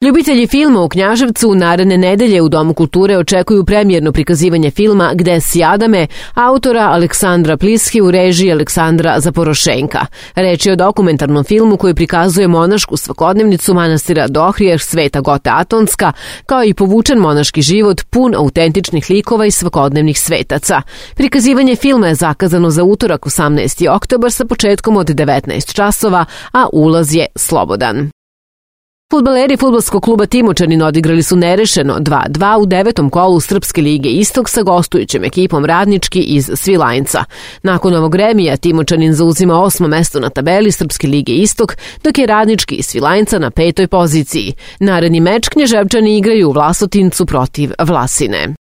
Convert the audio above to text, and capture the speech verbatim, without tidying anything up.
Ljubitelji filma u Knjaževcu naredne nedelje u Domu kulture očekuju premijerno prikazivanje filma Gde si Adame, autora Aleksandra Pliski u režiji Aleksandra Zaporošenka. Reč je o dokumentarnom filmu koji prikazuje monašku svakodnevnicu manastira Dohrijeh Sveta Gota Atonska, kao i povučen monaški život pun autentičnih likova i svakodnevnih svetaca. Prikazivanje filma je zakazano za utorak osamnaesti oktobar sa početkom od devetnaest časova, a ulaz je slobodan. Fudbaleri fudbalskog kluba Timočanin odigrali su nerešeno dva dva u devetom kolu Srpske lige Istok sa gostujućom ekipom Radnički iz Svilajnca. Nakon ovog remija Timočanin zauzima osmo mesto na tabeli Srpske lige Istok, dok je Radnički iz Svilajnca na petoj poziciji. Naredni meč Knjaževčani igraju u Vlasotincu protiv Vlasine.